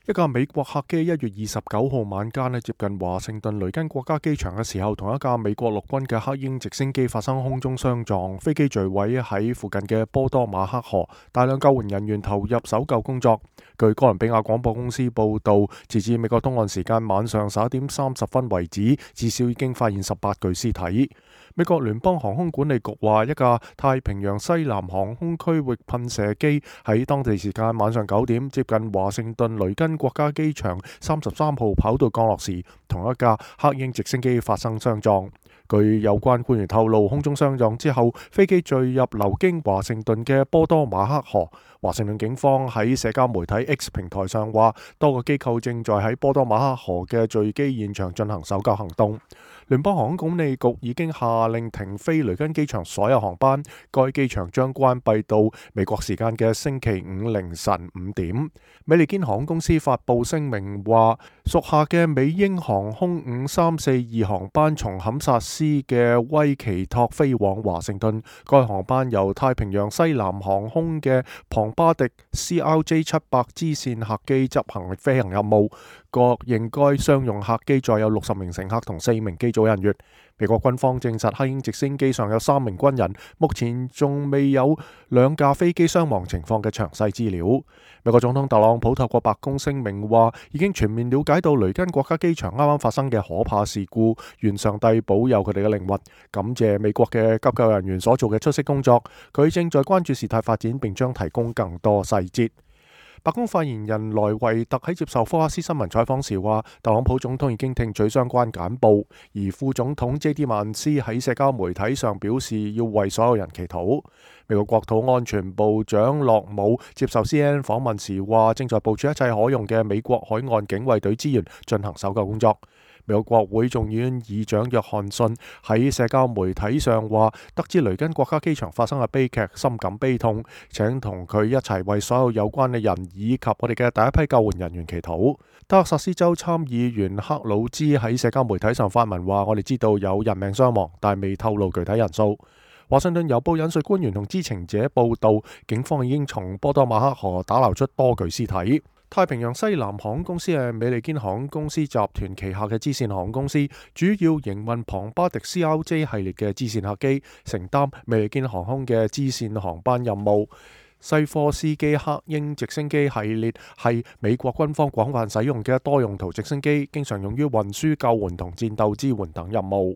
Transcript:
一架美國客機1月29號晚間接近華盛頓雷根國家機場嘅時候，同一架美國陸軍嘅黑鷹直升機發生空中相撞，飛機墜毀喺附近嘅波多馬克河，大量救援人員投入搜救工作。據哥倫比亞廣播公司報道，截至美國東岸時間晚上11點30分為止，至少已經發現18具屍體。美國聯邦航空管理局話，一架太平洋西南航空區域噴射機喺當地時間晚上9點接近華盛頓雷根國家機場33號跑道降落時，同一架黑鷹直升機發生相撞。據有關官員透露，空中相撞之後，飛機墜入流經華盛頓嘅波多馬克河。華盛頓警方喺社交媒體 X 平台上話，多個機構正在喺波多馬克河嘅墜機現場進行搜救行動。聯邦航空管理局已經下令停飛雷根機場所有航班，該機場將關閉到美國時間嘅星期五凌晨5點。美利堅航空公司發布聲明話，屬下嘅美英航空5342航班從堪薩斯嘅威奇托飛往華盛頓，該航班由太平洋西南航空嘅龐巴迪 CRJ700 支線客機執行飛行任務。確認該商用客機載有60名乘客同4名機組人員。美國軍方證實黑鷹直升機上有3名軍人，目前仲未有2架飛機傷亡情況嘅詳細資料。美國總統特朗普透過白宮聲明話，已經全面了解到雷根國家機場啱啱發生嘅可怕事故，願上帝保佑佢哋嘅靈魂，感謝美國嘅急救人員所做嘅出色工作。佢正在關注事態發展，並將提供更多細節。白宮發言人萊維特喺接受福克斯新聞採訪時話，特朗普總統已經聽取相關簡報，而副總統 J.D. 曼斯喺社交媒體上表示要為所有人祈禱。美國國土安全部長洛姆接受 CNN 訪問時話，正在部署一切可用嘅美國海岸警衛隊資源進行搜救工作。美國國會眾議院議長約翰遜喺社交媒體上話，得知雷根國家機場發生嘅悲劇，深感悲痛，請同佢一齊為所有有關嘅人以及我哋嘅第一批救援人員祈禱。德克薩斯州參議員克魯茲喺社交媒體上發文話，我哋知道有人命傷亡，但未透露具體人數。華盛頓郵報引述官員同知情者報道，警方已經從波多馬克河打撈出多具屍體。太平洋西南航空公司係美利堅航空公司集團旗下嘅支線航空公司，主要營運龐巴迪 CRJ 系列嘅支線客機，承擔美利堅航空嘅支線航班任務。西科斯基黑鷹直升機系列係美國軍方廣泛使用嘅多用途直升機，經常用於運輸、救援同戰鬥支援等任務。